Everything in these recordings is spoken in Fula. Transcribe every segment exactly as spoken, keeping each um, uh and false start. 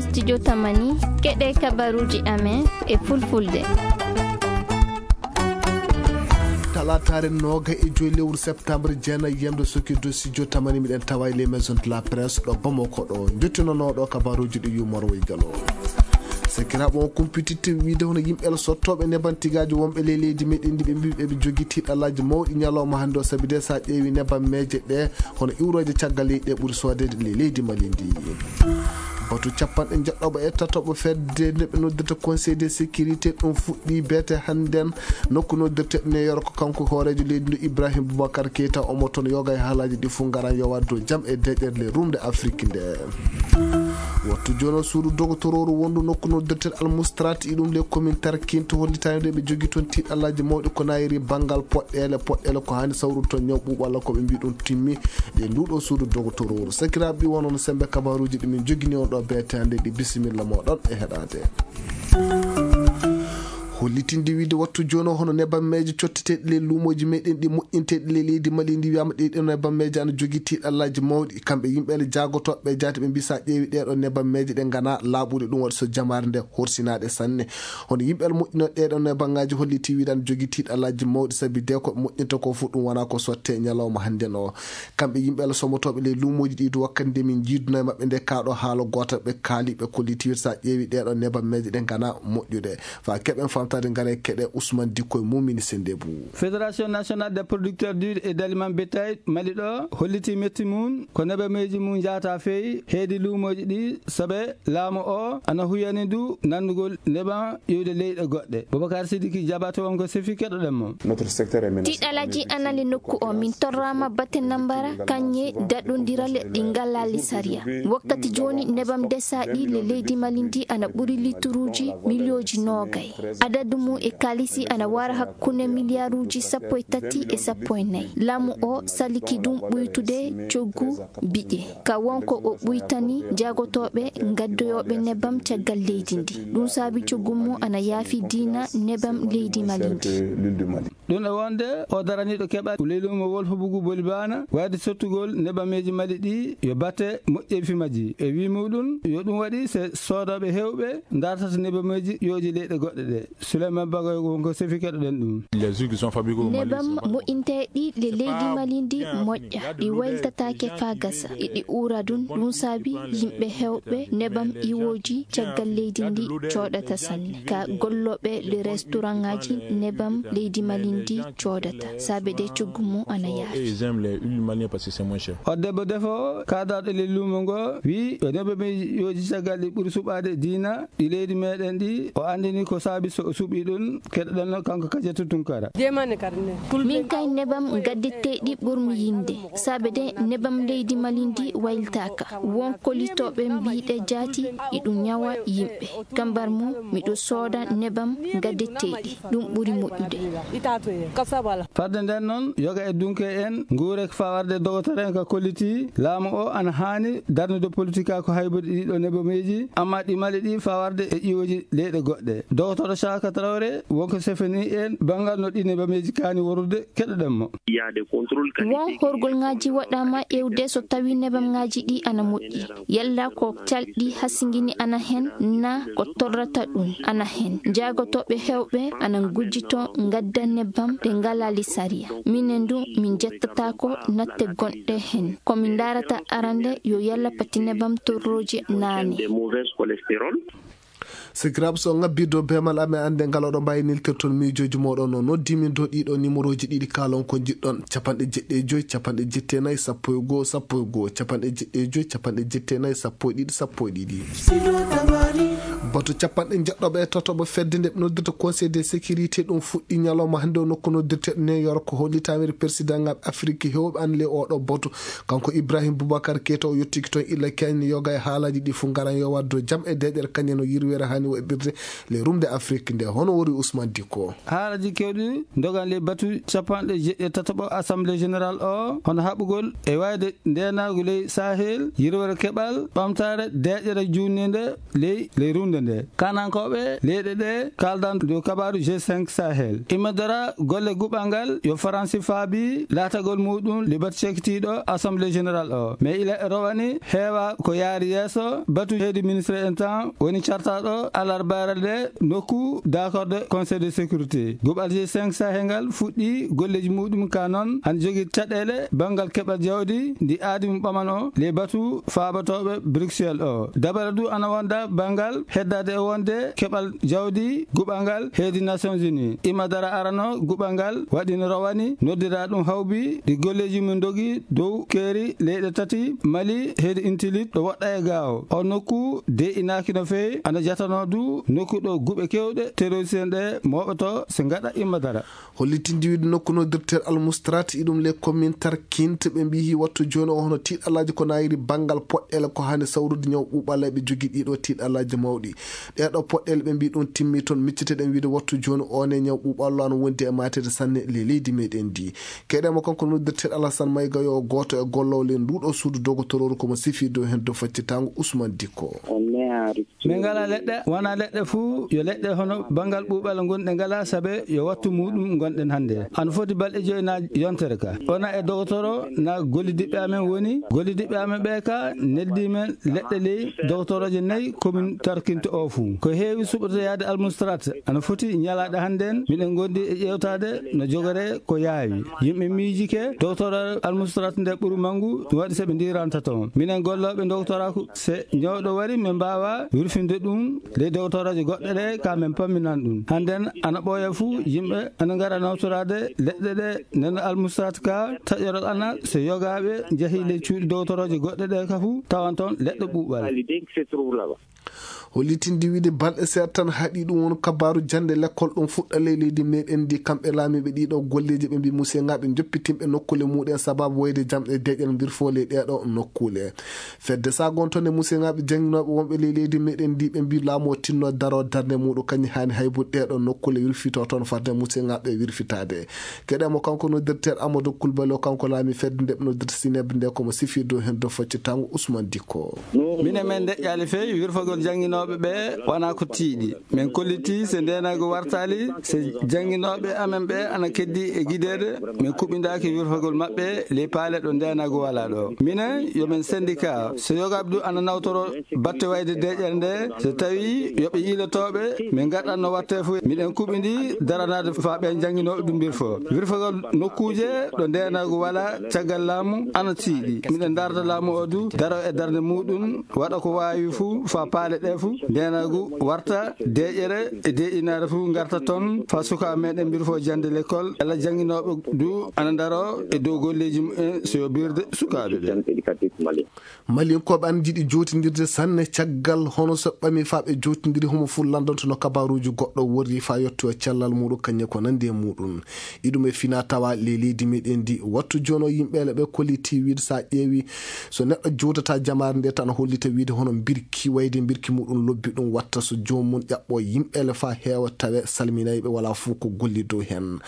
Studio Tamani, keɗe kabaruji amen e fulfulde. Talaataare nooga e joy lewru septembre, jeenayi yemde soki dow studio Tamani, miɗen tawa e les maisons de la presse ɗo Bamako ɗo. Jottinonooɗo kabaruji ɗi yumor woy galo. Sakiraaɓe, on kumpititte wiide hono yimɓe el sottooɓe neban tigaaji wonɓe ley leydi meɗen ndi, ɓe mbi ɓe jogii tiiɗalaaji mawɗi ñalawma hannde o, sabi de sa ƴeewi nebammeeje ɗe, hono iwrooje caggal leydi ɗe ɓuri soodede ley leydi Mali ndi. Batu capanɗe jeɗɗoɓo e tatoɓo fedde nde ɓe noddirta Conseil de sécurité, ɗum fuɗɗi beete hannden nokku noddirte New York, kanko hooreejo leydi ndu Ibrahim Boubacar Keita, omo toon yoga e haalaaji ɗi fof ngaran yo waɗ dow jam e deƴƴere le rumde Afrique nde. Wattu jooni o suudu dogotorooru wondu nokku noddirte Al Mustrat, iɗum le commune Tarkine, to hollitaani nde ɓe jogii toon tiiɗalaaji mawɗi ko nayiri banngal poɗɗeele, poɗɗeele ko haani sawrude toon ñaw ɓuuɓu walla ko ɓe mbii ɗum timmi. Ɗe nduɗo suudu dogotorooru. Sakiraaɓe, ɗi wono no sembe kabaruuji ɗi min jogini on ɗo beete hannde ɗi, bisimilla mooɗon e heɗaade. Hollitinde wiide wattu jooni o hono nebammeeje cotteteeɗe ley luumooji meɗen ɗi moƴƴinteeɗe ley leydi Mali ndi, wiyaama ɗe ɗo nebammeeje ana jogii tiiɗallaaji mawɗi. Kamɓe yimɓe ele jaagotooɓe ɓe jaati ɓe mbii sa ƴeewi ɗee ɗo nebammeeje ɗe ngana laaɓuɗe, ɗum waɗi so jamaare nde horsinaaɗe sanne. Hono yimɓe ele moƴƴinooɓe ɗee ɗo nebammaaji holliti wiide ana jogii tiiɗallaaji mawɗi sabi de ko ɓe moƴƴinta ko fof ɗum wona ko sotte ñalawma hannden o. Kamɓe yimɓe Allah somotooɓe ley luumooji ɗi du wakkati nde min njiidunoo e maɓɓe nde kaa ɗo haala goota ɓe kaali ɓe kolliti wiide sa ƴeewi ɗee ɗo nebammeeje ɗe ngana moƴƴude. Fa keɓen famtaade ngare keɗe Ousmane Dikko e Moumini Sendebou. Fédération nationale des producteurs d'huile et d'aliments bétail Mali ɗo holliti metti mum ko nebammeeji mum njaata feewi heedi luumooji ɗi sabe laamu o ana huyani du nanndugol nebam iwde leyɗe goɗɗe. Boubacar Sidiki Diabaté won ko sefi keɗoɗen mo. Tiiɗalaaji anale nokku o min torraama bate nambara kañe daɗondiral ɗi ngalaali sariya. Wakkati jooni nebam desaaɗi le leydi Mali ndi ana ɓuri lituruuji miliyooji noogay. Adadu mum e kaalisi ana wara hakkunde miliyaaruuji sappo e tati e sappo e nayi. Laamu o saliki ɗum ɓuytude coggu biƴe. Ka wonko o ɓuytani jaagotooɓe gaddoyooɓe nebam caggal leydi ndi. Ɗum saabi coggu mum ana yaafi diina nebam leydi Mali ndi. Ɗum e wonde o daraniiɗo keɓal leydi mo Wolfo Bugu Bolibana wayde sottugol nebameeji Mali ɗi yo batte moƴƴeefi majji. E wii muɗum yo ɗum waɗi se soodooɓe heewɓe dartata nebameeji ƴooji leyɗe goɗɗe ɗe. Souleymane Bagoy wonko sefi keɗoɗen ɗum. Nebam moƴƴinteeɗi le leydi Mali ndi moƴƴa, ɗi wayltataake faa gasa, iɗi uura ɗum. Ɗum saabi yimɓe heewɓe nebam iwooji caggal leydi ndi cooɗata sanne. Ka gollooɓe le restaurant ŋaaji nebam leydi Mali ndi coodata, saabe de coggu mum ana yaafi. O debbo defoowo kaadaaɗo le luumo ngo wii o nebameeji ƴooji caggal ɗi ɓuri suɓaade diina ɗi leydi meɗen ɗi, o anndini ko saabi so o suɓi ɗum. Keɗoɗen no kanko Kadiatou Tounkara. Min kay nebam gaddeteeɗi ɓurmi yinde, saabe de nebam leydi Mali ndi wayltaaka. Won kolitooɓe mbiiɗe jaati iɗum ñawa yimɓe. Kambar mum miɗo sooda nebam gaddeteeɗi, ɗum ɓuri moƴƴude. Fadde nden noon yoga e dunke en nguure fawarde dogotore en ka kolliti laamu o ana haani darnude politika ko haybude ɗiɗo nebameeji, amma ɗi Mali ɗi fawarde e ƴiwoji leyɗe goɗɗe. Dogotoro Saka Traoré wonko sefani en banngal no ɗi nebameeji kaani worude, keɗoɗen mo. Won horgol ŋaaji waɗaama ƴeewde so tawi nebam ŋaaji ɗi ana moƴƴi. Yalla ko calɗi hasingini ana hen, na ko torrata ɗum ana hen. Jaagotooɓe heewɓe ana ngujjito ngadda nebam ɗe ngalaali sariya. Minen du min jettataako natte gonɗe hen. Ko min ndaarata arande yo yalla pati nebam torrooji naane. Sikiraaɓe, so on ngabbii dow beemal amen, annde ngal oɗon mbaawi neltirton miijooji mooɗon. O noddii min dow ɗiɗo nimorooji ɗiɗi, kaalon ko njiɗɗon: capanɗe jeɗɗi e joy, capanɗe jetti e nayi, sappo e goo, sappo e goo, capanɗe jeɗɗi e joy, capanɗe jetti e nayi, sappo e ɗiɗi, sappo e ɗiɗi. Batu capanɗe jeɗɗoɓe e tatoɓo fedde nde ɓe noddirta Conseil de sécurité ɗum fuɗɗi ñalawma hannde o nokku noddirte New York, hollitaama e président ŋaaɓe Afiriki heewɓe an le oɗo batu. Kanko Ibrahim Boubacar Keita o yottiki toon illa keñne yoga e haalaaji ɗi fof ngaran yo waɗ dow jam e deeƴere kañum no yirwere haani waɗirde le rumde Afiriki nde. Hono wori Ousmane Dikko? Haalaaji kewɗi ndogan ley batu capanɗe jeɗɗi e tataɓo Assemblée Générale o, hono haɓugol e wayde ndeenaagu ley Sahel, yirwere keɓal, ɓamtaare, deeƴere juutnde ley, ley rumde. Nde kanankooɓe leyɗe ɗe kaaldan dow kabaaru G cinq Sahel. Immodora golle guɓal ngal yo Faransi faabi laatagol muuɗum libat cekitiiɗo Assemblée Générale o. Mais ila e rowani heewa ko yaari yeeso batu heedi ministre en tan woni cartaaɗo alarbaare nde nokku d'accord de Conseil de sécurité. Guɓal G cinq Sahel ngal fuɗɗi golleeji muuɗum ka noon ana jogii caɗeele banngal keɓal jawdi ndi aadi mo ɓaman o ley batu faabatooɓe Bruxelles o. Dabare du ana wonda banngal heddaade e wonde keɓal jawdi guɓal ngal heedi Nations Unies. Immodora arano guɓal ngal waɗi no rowani noddira ɗum hawbi ɗi golleeji mum dogi dow keeri leyɗe tati Mali heedi Intilit ɗo woɗɗa e gaawo. O nokku de inaaki no feewi ana jatanoo du nokku ɗo guɓe kewɗe terroriste en ɗe mooɓoto se ngaɗa Immodora. Hollitindi wiide nokku noddirteeɗo Almustrat iɗum les commune Tarkinte ɓe mbiyi wattu jooni o hono tiiɗalaaji ko nayiri banngal poɗɗeele ko hani sawrude ñaw ɓuuɓal ɓe jogii ɗiɗo tiiɗalaaji mawɗi. Ɗeɗo poɗɗeele ɓe mbiyi ɗum timmi toon micciteɗen wiide wattu jooni o ne ñaw ɓuuɓal o ana wondi e mateede sanne le leydi meɗen ndi. Keɗemo kanko noddirteeɗo Alassane Mayga yo gooto e golloowo le nduɗo suudu dogotorooru komo sifi dow hen dow faccitango Ousmane Dikko. Min ngala leɗɗe wona leɗɗe fuu yo leɗɗe hono banngal ɓuuɓal ngonɗe ngala sabe yo wattu muɗum ngonɗen hannde. Ana foti balɗe joyi na yontere ka ona e dogotoro na gollidiɓɓe amen woni gollidiɓɓe amen ɓe ka neldi men leɗɗe ley dogotorooje nayi commune Tarkinte o fuu ko heewi suɓotoyaade Almustrat ana foti ñalaaɗe hannden miɗen ngondi e ƴeewtaade no jogoree ko yaawi. Yimɓe miijike dogotoro Almustrat nde ɓuri manngu ɗum waɗi so ɓe ndiranta toon minen gollooɓe dogotoroku se ñawɗo wari min mbaawa wirfinde ɗum ley dogotoroje goɗɗe ɗe ka min pamminan ɗum hannden ana ɓooya fuu yimɓe ana ngara nawtoraade leɗɗe ɗe nden Almustrat ka taƴorol ana so yogaaɓe njahi ley cuuɗi dogotoroje goɗɗe ɗe ka fuu tawan toon leɗɗe ɓuuɓal. Hollitinde wiide balɗe seeɗa tan haɗi ɗum won kabaaru jannde lekkol ɗum fuɗɗa ley leydi meɗen ndi kamɓe laamiiɓe ɗiɗo golleeji ɓe mbi museŋaaɓe joppitinɓe nokkuule muɗen sababu woyde jamɗe deƴƴal mbirfo ley ɗeɗo nokkuule. Fedde sagonto nde museŋaaɓe jannginooɓe wonɓe ley leydi meɗen ndi ɓe mbi laamu o tinno daro darnde muɗum kañum hani haybude ɗeɗo nokkuule wirfito toon fadde museŋaaɓe wirfitaade. Keɗemo kanko noddirteeɗo Amadou Coulibaly o kanko laami fedde nde ɓe noddirta Sineb nde komo sifi dow hen dow faccitango Ousmane Dikko. Minen min deƴƴaali feewi wirfagol jannginooɓe ɓe wona ko tiiɗi. Min kolliti se ndeenaagu wartaali se jannginooɓe amen ɓe ana keddi e gideede min kuɓindaaki wirfagol maɓɓe ley paale ɗo ndeenaagu walaa ɗo. Minen yo min sendika so yogaaɓe du ana nawtoro batte wayde deƴƴere nde so tawi yo ɓe yiilotooɓe min ngaɗan no watte fof miɗen kuɓindi daranaade faa ɓen jannginooɓe ɗum mbirfo wirfagol nokkuuje ɗo ndeenaagu walaa caggal laamu ana tiiɗi miɗen darda laamu o du daro e darnde muɗum waɗa ko waawi fuu faa paale ɗe fuu ndeenaagu warta deƴƴere e deƴƴinaare fuu ngarta toon faa sukaaɓe meɗen mbirfo jannde lekkol yalla jannginooɓe du ana ndaro e dow golleeji mumen so yo birde sukaaɓe ɓe. Malinkooɓe ana njiɗi jootindirde sanne caggal hono so ɓami faa ɓe jootindiri homo fuu lanndanto no kabaaruuji goɗɗo worri faa yotto e cellal muɗum kañum ko nanndi e muɗum. Iɗum e fina tawa ley leydi meɗen ndi wattu jono yimɓeele ɓe kolliti wiide so a ƴeewi so neɗɗo jowtata jamaare nde tan hollita wiide hono mbirki wayde mbirki muɗum lobbi ɗum watta so joomum ƴaɓɓo yimɓeele faa heewa tawe salminayɓe wala fuu ko golli dow heen.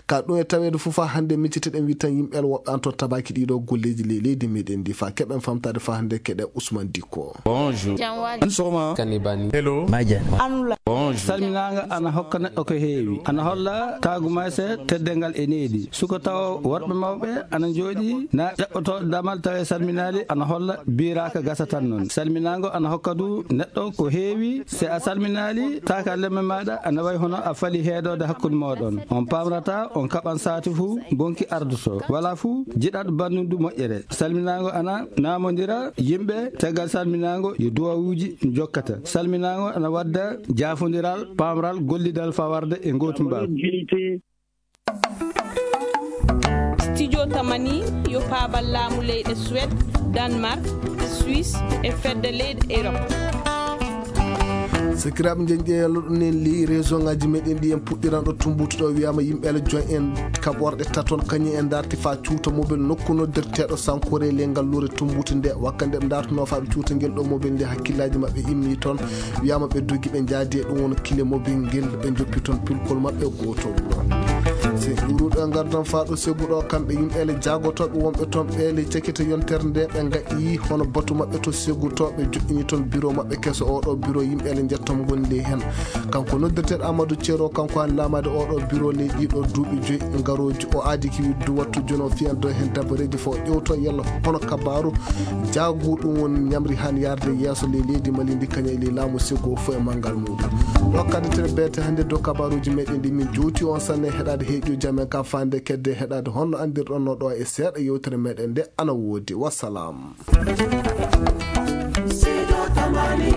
Ka ɗum e taweede fof faa hannde micciteɗen wi tan yimɓeele woɓɓe an toon tabaaki ɗiɗo golleeji ley leydi meɗen ndi faa keɓen famtaade faa hannde keɗe Ousmane Dikko. Bonjour. An sogoma. Kanibani. Hello. Majan. Anula. Bonjour. Salminaanga ana hokka neɗɗo ko heewi ana holla taagu mayse teddeengal e needi suko tawa worɓe mawɓe ana njooɗi na ƴaɓɓoto damal tawa e salminaali ana holla biiraaka gasa tan noon salminaango ana hokka du neɗɗo ko heewi se a salminaali taaka lemme maaɗa ana wayi hono a fali heedoode hakkunde mooɗon on paamrata on kaɓan saati fuu bonki ardoto wala fuu jiɗat bannundu moƴƴere salminaango ana naamondira yimɓe caggal salminaango yo duwawuuji jokkata salminaango ana wadda jaafondiral paamral gollidal fawarde e ngootu mbaaw. Studio tamani yo paabal laamu leyɗe Suède, Danemark, Suisse e fedde leyɗe Europe. Sakiraaɓe njeñƴe yalluɗo nen ley réseau ngaji meɗen ɗi en puɗɗiranɗo tumbutu ɗo wiyama yimɓe ala join en kaɓorɗe taton kañum en darti fa cuuta mobile nokku noddirteɗo sankore ley ngallure tumbutu nde wakka nde ɓe dartuno fa ɓe cuuta ngel ɗo mobile nde hakkillaji maɓɓe immi toon wiyama ɓe dogi ɓe jaadi e ɗum won kile mobile ngel ɓe joppi toon pilkol maɓɓe gotol. Se ɗuuruɗo e ngardan faa ɗo segu ɗo, kamɓe yimɓeele jaagotooɓe wonɓe toon ɓeele cakita yontere nde, ɓe ngaɗi hono batu maɓɓe to segutooɓe joɗɗini toon biro maɓɓe keso. Oɗo biro yimɓeele njettom gondi heen. Kanko noddirteeɗo Amadou Thiero, kanko han laamaade oɗo biro ley ɗiɗo duuɓi joyi ngarooji, o aadi ki widdu wattu jono fiyando heen dabareeji fo ƴewto yalla hono kabaaru jaagu ɗum won ñamri han yarde yeeso ley leydi Mali ndi kaña e ley laamu sego fof e manngal muɗum. Ɗo kadi tere beete hannde dow kabaaruuji meɗen ɗi min jowti on sanne heɗaade heeƴuji amen ka fande kedde heɗaade honno anndirɗon no ɗo e seeɗa yewtere meɗen nde ana woodi. Wassalam. Sido Tamani